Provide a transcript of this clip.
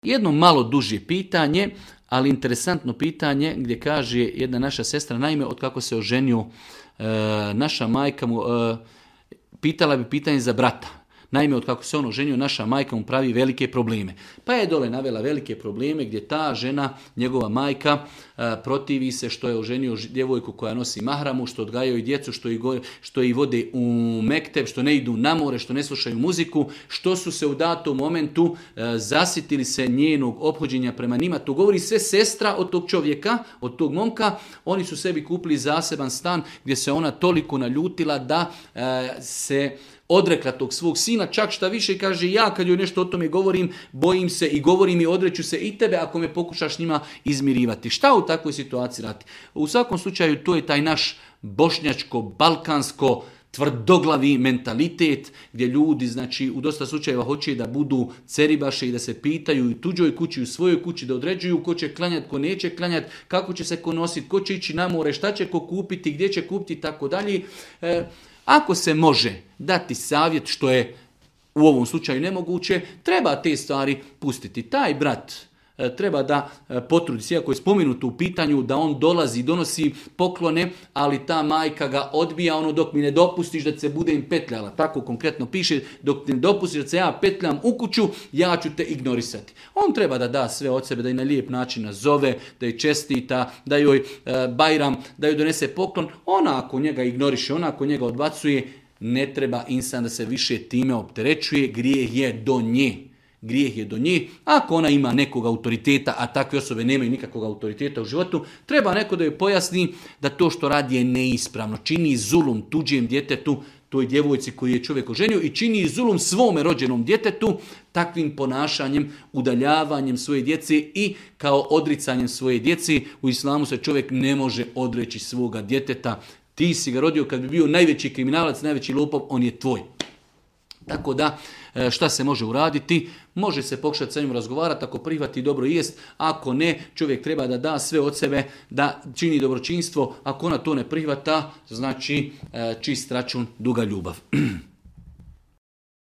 Jedno malo duže pitanje, ali interesantno pitanje gdje kaže jedna naša sestra, naime od kako se oženio naša majka mu pitala bi pitanje za brata. Naime, od kako se on oženio, naša majka mu pravi velike probleme. Pa je dole navela velike probleme gdje ta žena, njegova majka, protivi se što je oženio djevojku koja nosi mahramu, što odgajaju djecu, što ih vode u mekteb, što ne idu na more, što ne slušaju muziku, što su se u datom momentu zasitili se njenog ophođenja prema njima. To govori sve sestra od tog čovjeka, od tog momka. Oni su sebi kupili zaseban stan gdje se ona toliko naljutila da se odrekla tog svog sina, čak šta više kaže, ja kad joj nešto o tome govorim, bojim se i govorim i odreću se i tebe ako me pokušaš njima izmirivati. Šta u takvoj situaciji raditi? U svakom slučaju to je taj naš bošnjačko-balkansko tvrdoglavi mentalitet gdje ljudi, znači, u dosta slučajeva hoće da budu ceribaše i da se pitaju i tuđoj kući, u svojoj kući, da određuju ko će klanjati, ko neće klanjati, kako će se ko nositi, ko će ići na more, šta će ko kupiti, gdje će kupiti i tako dalje. Ako se može dati savjet, što je u ovom slučaju nemoguće, treba te stvari pustiti. Taj brat treba da potrudi se, iako je spomenuto u pitanju da on dolazi, donosi poklone, ali ta majka ga odbija, dok mi ne dopustiš da se budem petljala. Tako konkretno piše, dok ne dopustiš da se ja petljam u kuću, ja ću te ignorisati. On treba da da sve od sebe, da je na lijep način nazove, da je čestita, da joj bajram, da joj donese poklon. Ona ako njega ignoriše, ona ako njega odbacuje, ne treba insan da se više time opterećuje, grijeh je do nje. Grijeh je do nje. Ako ona ima nekog autoriteta, a takve osobe nemaju nikakvog autoriteta u životu, treba neko da joj pojasni da to što radi je neispravno. Čini zulum tuđem djetetu, toj djevojci koju je čovjek oženio, i čini zulum svome rođenom djetetu takvim ponašanjem, udaljavanjem svoje djece i kao odricanjem svoje djece. U islamu se čovjek ne može odreći svoga djeteta. Ti si ga rodio, kad bi bio najveći kriminalac, najveći lopov, on je tvoj. Tako da, šta se može uraditi? Može se pokušati sa njim razgovarati, ako prihvati dobro jest, ako ne, čovjek treba da da sve od sebe, da čini dobročinstvo, ako ona to ne prihvata, znači čist račun, duga ljubav.